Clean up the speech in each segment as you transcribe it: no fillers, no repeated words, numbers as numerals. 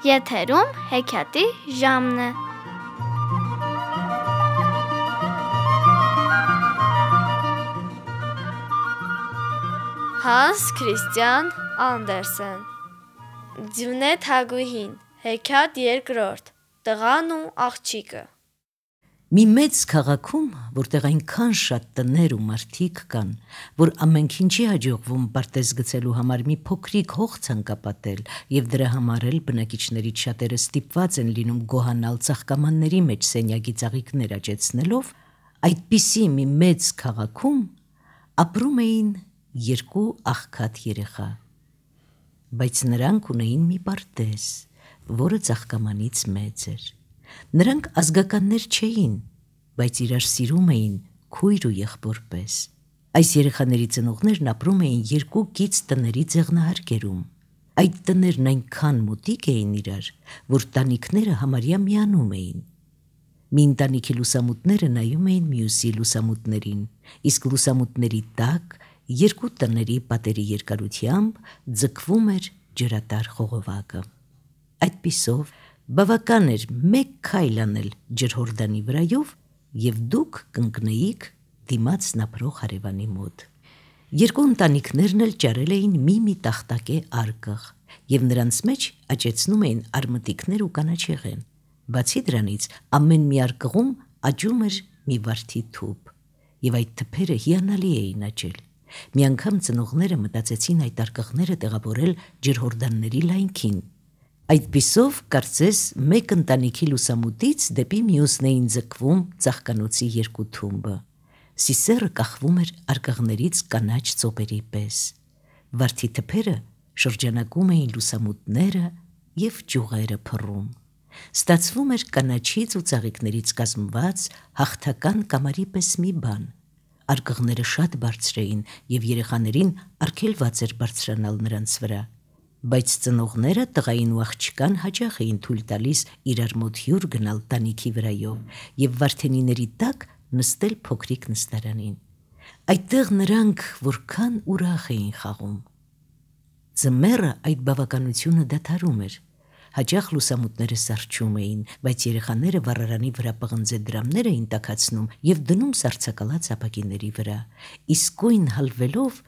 Եթերում հեքիաթի ժամն է։ Հանս Քրիստիան Անդերսեն Ձյունե Թագուհին հեքիաթ երկրորդ Տղան ու աղջիկը Մի մեծ քաղաքում, որտեղ այնքան շատ տներ ու մարդիկ կան, որ ամենքին չի հաջողվում պարտեզ գցելու համար մի փոքրիկ հող ցանկապատել, եւ դրա համար էլ բնակիչներից շատերը ստիպված են լինում գոհանալ ծաղկամանների մեջ սենյակի ծաղիկներ աճեցնելով, այդպիսի մի մեծ քաղաքում ապրում էին երկու աղքատ երեխա, բայց նրանք ունեին մի պարտեզ, որը ծաղկամանից մեծ էր։ Նրանք ազգականներ չէին, բայց իրար սիրում էին քույր ու եղբոր պես։ Այս երեխաների ծնողներն ապրում էին երկու կից տների ձեղնահարկերում։ Այդ տներն այնքան մոտիկ էին իրար, որ տանիքները համարյա միանում էին։ Մի ընտանիքի լուսամուտները նայում էին մյուսի լուսամուտներին, իսկ լուսամուտների տակ երկու տների պատերի երկարությամբ ձգվում էր ջրատար խողովակը։ Այդպիսով բավական էր մեկ քայլ անել ջրհորդանի վրայով, եւ դուք կընկնեիք դիմացն ապրող հարևանի մոտ։ Երկու ընտանիքներն էլ ճարել էին մի տախտակե արկղ, եւ նրանց մեջ աճեցնում էին արմտիկներ ու կանաչեղեն։ Բացի դրանից, ամեն մի արկղում աճում էր մի վարդի թուփ, եւ այդ թփերը հիանալի էին աճել։ Մի անգամ ծնողները մտածեցին այդ արկղները տեղավորել ջրհորդանների լայնքին։ Այդպիսով, կարծես, մեկ ընտանիքի լուսամուտից դեպի մյուսն էին ձգվում ծաղկանոցի երկու թումբը։ Սիսեռը կախվում էր արկղներից կանաչ ծոպերի պես։ Վարդի թփերը շրջանակում էին լուսամուտները եւ ճյուղերը փռում։ Ստացվում էր կանաչից ու ծաղիկներից կազմված հաղթական կամարի պես մի բան։ Արկղները շատ բարձր էին եւ երեխաներին արգելված էր բարձրանալ նրանց վրա։ Բայց ծնողները տղային ու աղջկան հաճախ էին թույլ տալիս իրար մոտ հյուր գնալ տանիքի վրայով եւ վարդենիների տակ նստել փոքրիկ նստարանին։ Այդտեղ նրանք որքան ուրախ էին խաղում։ Ձմեռը այդ բավականությունը դադարում էր։ Հաճախ լուսամուտները սառչում էին, բայց երեխաները վառարանի վրա պղնձե դրամներ էին տաքացնում եւ դնում սառցակալած ապակիների վրա։ Իսկույն հալվելով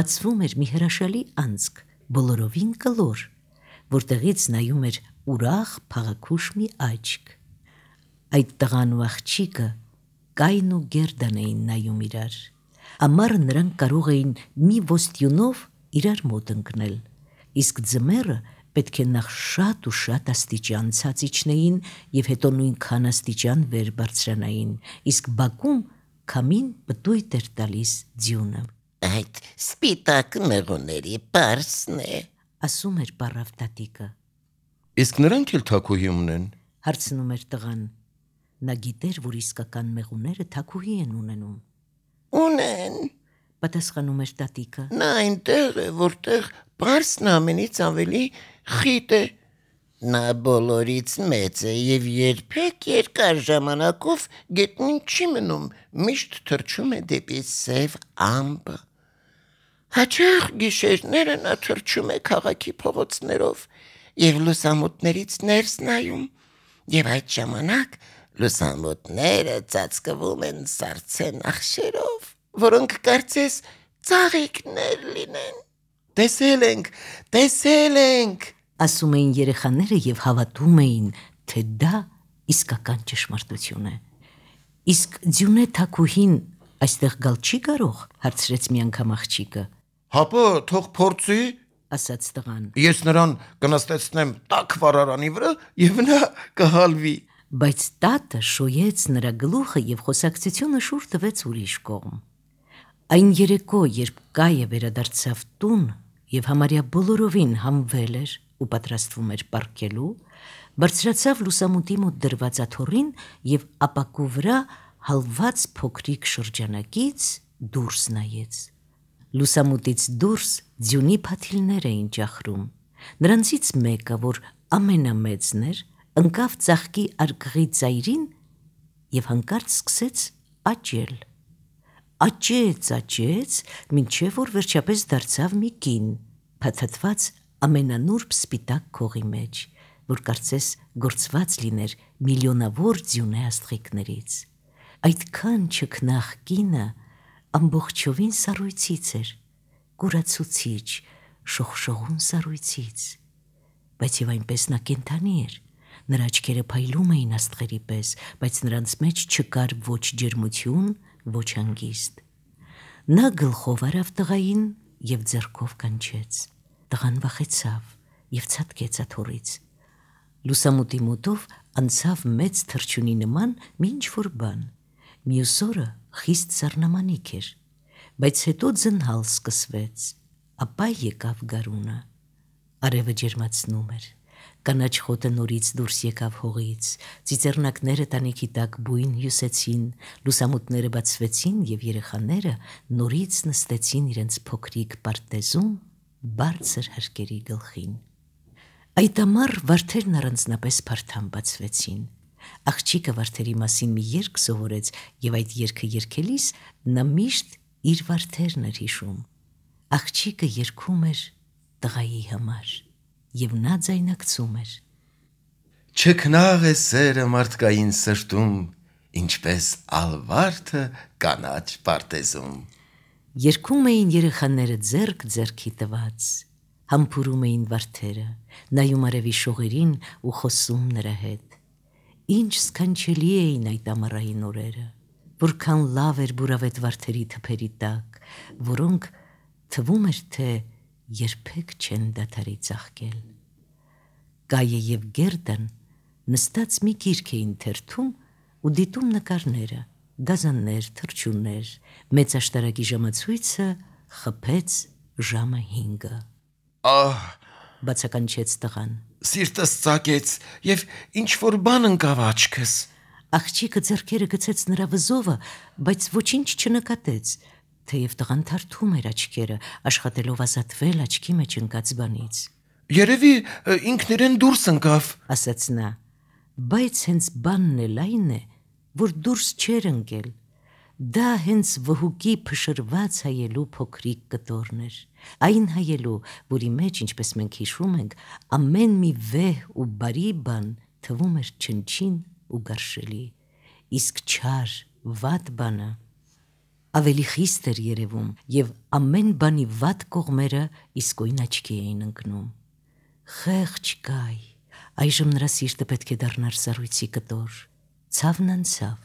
բացվում էր մի հրաշալի անցք, բոլորովին կլոր, որտեղից նայում էր ուրախ փաղաքուշ մի աչք։ Այդ տղան ու աղջիկը կայն ու գերդան էին նայում իրար։ Ամառը նրանք կարող էին մի ոստյունով իրար մոտ ընկնել, իսկ ձմեռը պետք է նախ շատ ու շատ աստիճան ցած իջնեին եւ հետո նույնքան աստիճան վեր բարձրանային, իսկ բակում քամին պտույտ էր տալիս ձյունը։ Այդ սպիտակ մեղուների պարսն է, ասում էր պառավ տատիկը։ Իսկ նրանք էլ թագուհի ունեն, հարցնում էր տղան։ Նա գիտեր, որ իսկական մեղուները թագուհի են ունենում։ Ունեն, Պատասխանում էր տատիկը։ նա այնտեղ է, որտեղ պարսն ամենից ավելի խիտ է։ Նա բոլորից մեծ է եւ երբեք երկար ժամանակով գետնին չի մնում, միշտ թռչում է դեպի սև ամպը։ Հաճախ գիշերները նա թռչում է քաղաքի փողոցներով եւ լուսամուտներից ներս նայում, եւ այդ ժամանակ լուսամուտները ծածկվում են սառցե նախշերով, որոնք կարծես ծաղիկներ լինեն։ Տեսել ենք, ասում էին երեխաները եւ հավատում էին, թե դա իսկական ճշմարտություն է։ Իսկ ձյունե թագուհին այստեղ գալ չի կարող, հարցրեց մի անգամ աղջիկը, հապա թող փորձի, ասաց տղան։ ես նրան կնստեցնեմ տաք վառարանի վրա եւ նա կհալվի։ Բայց տատը շոյեց նրա գլուխը եւ խոսակցությունը շուռ տվեց ուրիշ կողմ։ Այն երեկո, երբ կայը վերադարձավ տուն եւ համարյա բոլորովին համվել էր ու պատրաստվում էր պառկելու, բարձրացավ լուսամուտի մոտ դրված աթոռին եւ ապակու վրա հալված փոքրիկ շրջանակից դուրս նայեց։ Լուսամուտից դուրս ձյունի փաթիլներ էին ճախրում։ Նրանցից մեկը, որ ամենամեծն էր, ընկավ ծաղկի արկղի ծայրին եւ հանկարծ սկսեց աճել։ Աճեց, մինչև որ վերջապես դարձավ մի կին, փաթաթված ամենանուրբ սպիտակ քողի մեջ, որ կարծես գործված լիներ միլիոնավոր ձյունե աստղիկներից։ Այդքան չքնաղ կինը ամբողջովին սառույցից էր, կուրացուցիչ, շողշողուն սառույցից, բայց եւ այնպես նա կենդանի էր, նրա աչքերը փայլում էին աստղերի պես, բայց նրանց մեջ չկար ոչ ջերմություն, ոչ հանգիստ։ Նա գլխով արավ տղային եւ ձեռքով կանչեց։ Տղան վախեցավ եւ ցատկեց աթոռից։ Լուսամուտի մոտով անցավ մեծ թռչունի նման մի ինչ-որ բան։ Մյուս օրը խիստ սառնամանիք էր, բայց հետո ձնհալ սկսվեց, ապա եկավ գարունը։ Արևը ջերմացնում էր, կանաչ խոտը նորից դուրս եկավ հողից, ծիծեռնակները տանիքի տակ բույն հյուսեցին, լուսամուտները բացվեցին եւ երեխաները նորից նստեցին իրենց փոքրիկ պարտեզում բարձր հարկերի գլխին։ Այդ ամառ վարդերն առանձնապես փարթամ բացվեցին։ Աղջիկը վարդերի մասին մի երգ սովորեց եւ այդ երգը երգելիս նա միշտ իր վարդերն էր հիշում։ Աղջիկը երգում էր տղայի համար եւ նա ձայնարկում էր. Չքնաղ է սերը մարդկային սրտում, ինչպես ալվարդը կանաչ պարտեզում։ Երգում էին երեխաները ձեռք ձեռքի տված, համբուրում էին վարդերը, նայում արևի շողերին ու խոսում նրա հետ։ Ինչ սքանչելի էին այդ ամառային օրերը, որքան լավ էր բուրավետ վարդերի թփերի տակ, որոնք թվում էր, թե երբեք չեն դադարի ծաղկել։ Գայը եւ Գերդան նստած մի գիրք էին թերթում ու դիտում նկարները, գազաններ, թռչուններ, մեծ աշտարակի ժամացույցը խփեց ժամը 5-ը։ Ահ, Բացականչեց տղան։ սիրտս ծակեց եւ ինչ որ բան ընկավ աչքս։ Աղջիկը ձեռքերը գցեց նրա վզովը, բայց ոչինչ չնկատեց, թեև տղան թարթում էր աչքերը, աշխատելով ազատվել աչքի մեջ ընկած բանից։ Երևի ինքն իրեն դուրս ընկավ։ Ասաց նա, բայց հենց բանն էլ այն է, որ դուրս չէր ընկել։ Դա հենց վհուկի փշրված հայելու փոքրիկ կտորն էր, այն հայելու, որի մեջ, ինչպես մենք հիշում ենք, ամեն մի վեհ ու բարի բան թվում էր չնչին ու գարշելի, իսկ չար, վատ բանը ավելի խիստ էր երևում եւ ամեն բանի վատ կողմերը իսկույն աչքի էին ընկնում։ Խեղճ Գայ, այժմ նրա սիրտը պետք է դառնար սառույցի կտոր, ցավն անցավ,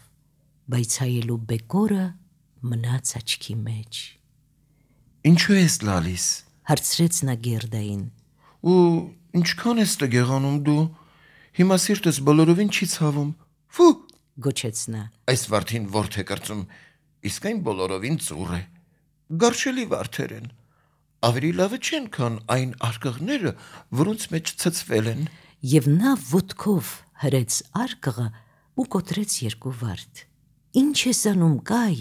բայց հայելու բեկորը մնաց աչքի մեջ։ Ինչու ես լալիս։ Հարցրեց նա Գերդային։ Ու ինչքան ես տգեղանում դու։ Հիմա սիրտս բոլորովին չի ցավում։ Ֆու, Գոչեց նա։ այս վարդին ворթ է կրծում, իսկ այն բոլորովին ծուռ է։ Գարշելի վարդեր են։ Ավելի լավը չեն, քան այն արկղները, որոնց մեջ ցցվել են։ Եվ նա ոտքով հրեց արկղը ու կոտրեց 2 վարդ։ Ինչ ես անում, Գայ,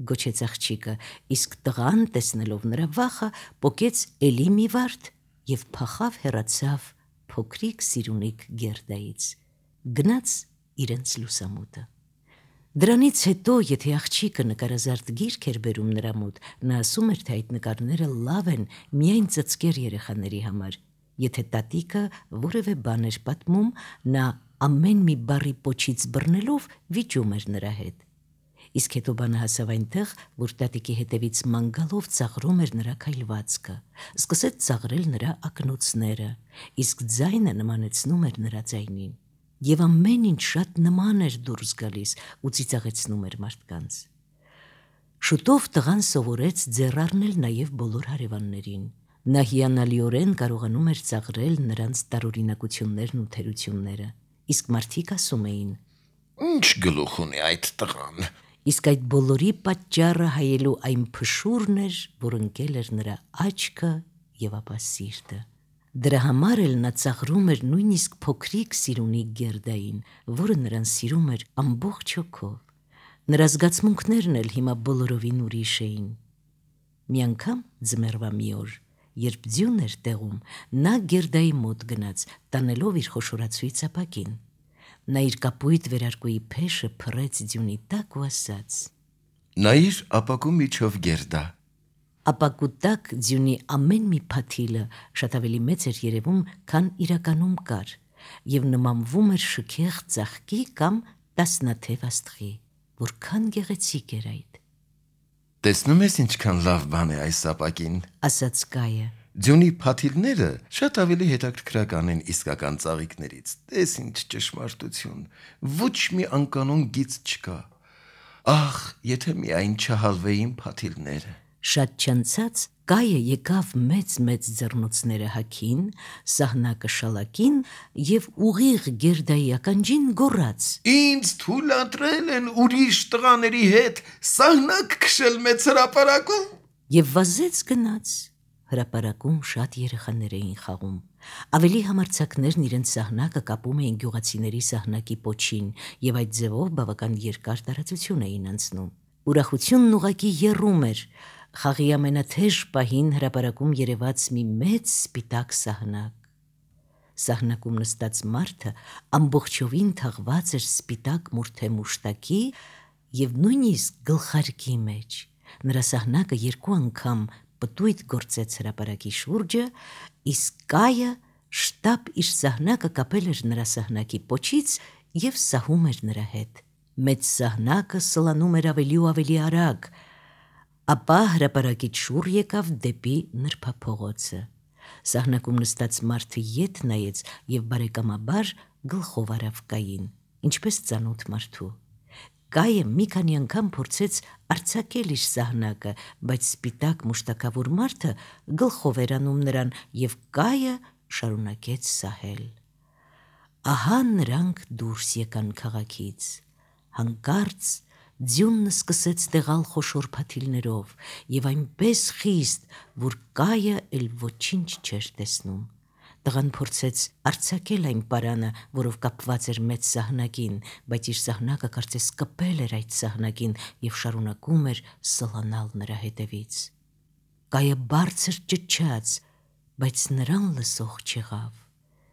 գոչեց աղջիկը, իսկ տղան, տեսնելով նրա վախը, պոկեց էլի մի վարդ եւ փախավ հեռացավ փոքրիկ սիրունիկ Գերդայից։ Գնաց իրենց լուսամուտը։ Դրանից հետո, եթե աղջիկը նկարազարդ գիրք էր բերում նրա մոտ, նա ասում էր, թե այդ նկարները լավ են միայն ծծկեր երեխաների համար։ Եթե տատիկը որևէ բան էր պատմում, նա ամեն մի բառի պոչից բռնելով վիճում էր նրա հետ։ Իսկ հետո բանը հասավ այնտեղ, որ տատիկի հետևից ման գալով ծաղրում էր նրա քայլվածքը, սկսեց ծաղրել նրա ակնոցները, իսկ ձայնը նմանեցնում էր նրա ձայնին։ Եվ ամեն ինչ շատ նման էր դուրս գալիս ու ծիծաղեցնում էր մարդկանց։ Շուտով տղան սովորեց ձեռ առնել նաև բոլոր հարևաններին։ Նա հիանալիորեն կարողանում էր ծաղրել նրանց տարօրինակություններն ու թերությունները, իսկ մարդիկ ասում էին. Ինչ գլուխ ունի այդ տղան։ Իսկ այդ բոլորի պատճառը հայելու այն փշուրն էր, որ ընկել էր նրա աչքը եւ ապա սիրտը։ Դրա համար էլ նա ծաղրում էր նույնիսկ փոքրիկ սիրունիկ Գերդային, որը նրան սիրում էր ամբողջ հոգով։ Նրա զգացմունքներն էլ հիմա բոլորովին ուրիշ էին։ Մի անգամ ձմեռվա մի օր, երբ ձյուն էր տեղում, նա Գերդայի մոտ գնաց, տանելով իր խոշորացույց ապակին։ Նա իր կապույտ վերարկուի փեշը փռեց ձյունի տակ ու ասաց. Նայիր ապակու միջով Գերդա։ Ապակու տակ ձյունի ամեն մի փաթիլը շատ ավելի մեծ էր երևում, քան իրականում կար, եւ նմանվում էր շքեղ ծաղկի կամ տասնաթև աստղի, որքան գեղեցիկ էր այդ, Տեսնում ես ինչքան լավ բան է այս ապակին։ ասաց Կայը։ Ձյունի փաթիլները շատ ավելի հետաքրքրական են իսկական ծաղիկներից։ Տես ինչ ճշմարտություն։ Ոչ մի անկանոն գիծ չկա։ Ահ, եթե միայն չհալվեին փաթիլները։ Շատ չանցած Կայը եկավ մեծ ձեռնոցները հագին, սահնակը շալակին եւ ուղիղ գերդայի ականջին գոռաց. Ինձ թույլ ընտրել են ուրիշ տղաների հետ սահնակ քշել մեծ հրապարակում։ Եվ վազեց գնաց։ Հրապարակում շատ երեխաներ էին խաղում։ Ավելի համարձակներն իրենց սահնակը կապում էին գյուղացիների սահնակի պոչին եւ այդ ձևով բավական երկար տարածություն էին անցնում։ Ուրախությունն ուղակի եռում էր։ Խաղի ամենաթեժ պահին հրապարակում երևաց մի մեծ սպիտակ սահնակ։ Սահնակում նստած մարդը ամբողջովին թաղված էր սպիտակ մուրթե մուշտակի եւ նույնիսկ գլխարկի մեջ։ Նրա սահնակը երկու անգամ պտույտ գործեց հրապարակի շուրջը, իսկ Կայը շտապ իր սահնակը կապել էր նրա սահնակի պոչից եւ սահում էր նրա հետ։ Մեծ սահնակը սլանում էր ավելի ու ավելի արագ, ապա հրապարակից շուռ եկավ դեպի նրբափողոցը։ Սահնակում նստած մարդը ետ նայեց եւ բարեկամաբար գլխով արավ Կային, ինչպես ծանոթ մարդու։ Կայը մի քանի անգամ փորձեց արձակել իր սահնակը, բայց սպիտակ մուշտակավոր մարդը գլխով էր անում նրան եւ Կայը շարունակեց սահել։ Ահա նրանք դուրս եկան քաղաքից։ Հանկարծ ձյունն սկսեց տեղալ խոշոր փաթիլներով եւ այնպես խիստ, որ Կայը էլ ոչինչ չէր տեսնում։ Տղան փորձեց արձակել այն պարանը, որով կապված էր մեծ սահնակին, բայց իր սահնակը կարծես կպել էր այդ սահնակին եւ շարունակում էր սլանալ նրա հետևից։ Կայը բարձր ճչաց, բայց նրան լսող չեղավ։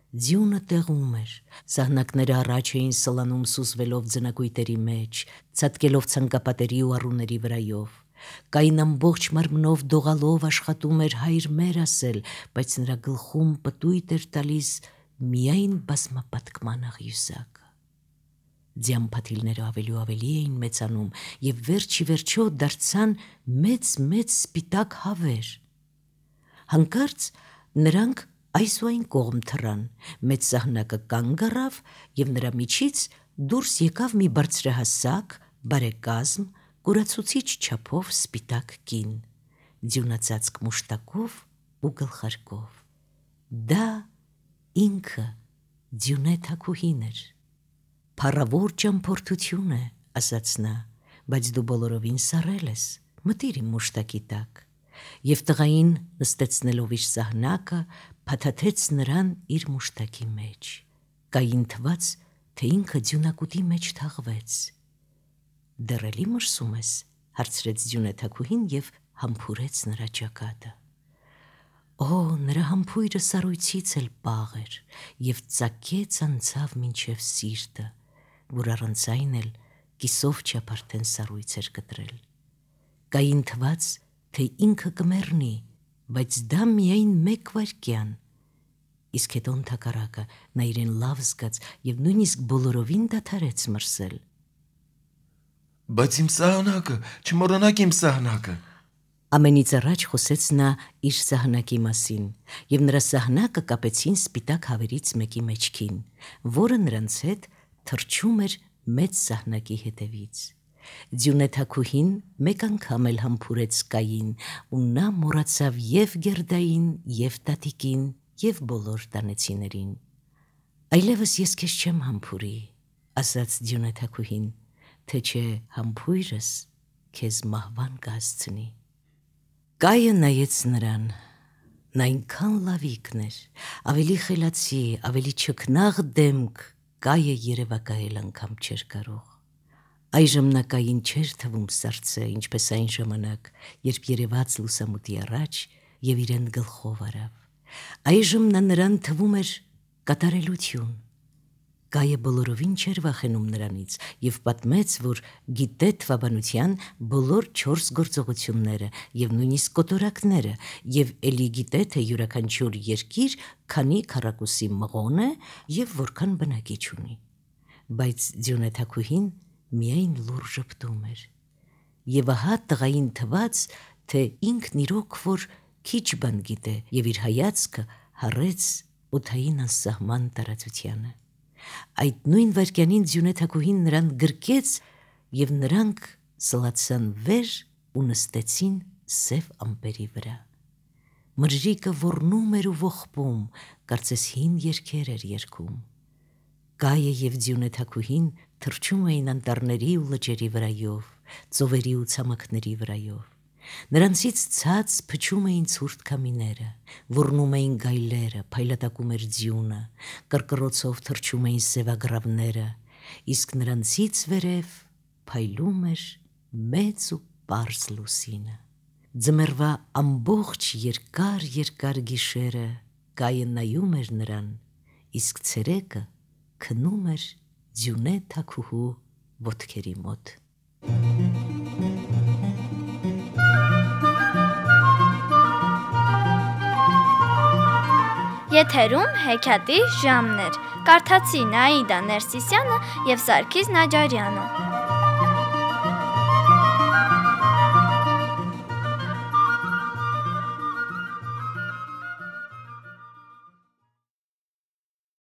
Ձյունը տեղում էր, սահնակները առաջ էին սլանում սուզվելով ձնակույտերի մեջ, ցատկելով ցանկապատերի ու առուների վրայով։ Կային ամբողջ մարմնով դողալով աշխատում էր հայր մեր ասել, բայց նրա գլխում պտույտ էր տալիս միայն բազմապատկման աղյուսակը։ Ձյան փաթիլները ավելի ու ավելի էին մեծանում եւ վերջի վերջո դարձան մեծ սպիտակ հավեր։ Հանկարծ նրանք այս ու այն կողմ թռան, մեծ սահնակը կանգ առավ եւ նրա միջից դուրս եկավ մի բարձրահասակ, բարեկազմ, կուրացուցիչ չափով սպիտակ կին, ձյունածածկ մուշտակով ու գլխարկով։ Դա ինքը Ձյունե Թագուհին էր։ «Փառավոր ճամփորդություն է», ասաց նա, բայց դու բոլորովին սառել ես, մտիր իմ մուշտակի տակ։ Եվ տղային նստեցնելով իր սահնակը, փաթաթեց նրան իր մուշտակի մեջ։ Կային թվաց, թե ինքը ձյունակուտի մեջ թաղվեց։ «Դեռ էլի մրսում ես», հարցրեց Ձյունե Թագուհին եւ համբուրեց նրա ճակատը։ Օ, նրա համբույրը սառույցից էլ պաղ էր եւ ծակեց անցավ մինչեւ սիրտը, որ առանց այն էլ կիսով չափ արդեն սառույց էր կտրել։ Կային թվաց, թե ինքը կմեռնի, բայց դա միայն մեկ վայրկյան։ Իսկ հետո ընդհակառակը նա իրեն լավ զգաց եւ նույնիսկ բոլորովին դադարեց մրսել։ Բայց իմ սահնակը, չմոռանաք իմ սահնակը։ Ամենից առաջ խոսեց նա իր սահնակի մասին եւ նրա սահնակը կապեցին սպիտակ հավերից մեկի մեջքին, որը նրանց հետ թռչում էր մեծ սահնակի հետևից։ Ձյունե Թագուհին մեկ անգամ էլ համբուրեց Կային ու նա մոռացավ եւ գերդային, եւ տատիկին, եւ բոլոր տանեցիներին։ Այլևս ես քեզ չեմ համբուրի, ասաց Ձյունե Թագուհին, թե չէ համբույրս քեզ մահվան կհասցնի։ Կայը նայեց նրան, նա այնքան լավիկն էր, ավելի խելացի, ավելի չքնաղ դեմք, Կայը երևակայել անգամ չէր կարող։ Այժմ նա Կային չէր թվում սառցե, ինչպես այն ժամանակ, երբ երևաց լուսամուտի առաջ եւ իրեն գլխով արավ։ Այժմ նա նրան թվում էր կատարելություն։ Գայը բոլորովին չէր վախենում նրանից եւ պատմեց, որ գիտե թվաբանության բոլոր 4 գործողությունները եւ նույնիսկ կոտորակները եւ ելի գիտե թե յուրաքանչյուր երկիր քանի քառակուսի մղոն է եւ որքան բնակիչ ունի։ Բայց Ձյունե թագուհին միայն լուր ժպտում էր։ Եվ ահա տղային թվաց, թե ինքն իրոք որ քիչ բան գիտե եւ իր հայացքը հառեց օդային անսահման տարածությանը։ Այդ նույն վայրկյանին Ձյունե թագուհին նրան գրկեց եւ նրանք սլացան վեր ու նստեցին սև ամպերի վրա։ Մրրիկը ոռնում էր ու ողբում, կարծես հին երգեր էր երգում։ Գայը եւ Ձյունե թագուհին թռչում էին անտառների ու լճերի վրայով, ծովերի ու ցամաքների վրայով։ Նրանցից ցած փչում էին ցուրտ քամիները, ոռնում էին գայլերը, փայլատակում էր ձյունը, կռկռոցով թռչում էին սևագրավները, իսկ նրանցից վերև փայլում էր մեծ ու պարզ լուսինը։ Ձմեռվա ամբողջ երկար գիշերը գայը նայում էր նրան, իսկ ցերեկը քնում էր Ձյունե թագուհու ոտքերի մոտ։ Եթերում հեքիաթի ժամն էր։ Կարդացին Աիդա Ներսիսյանը եւ Սարգիս Նաջարյանը։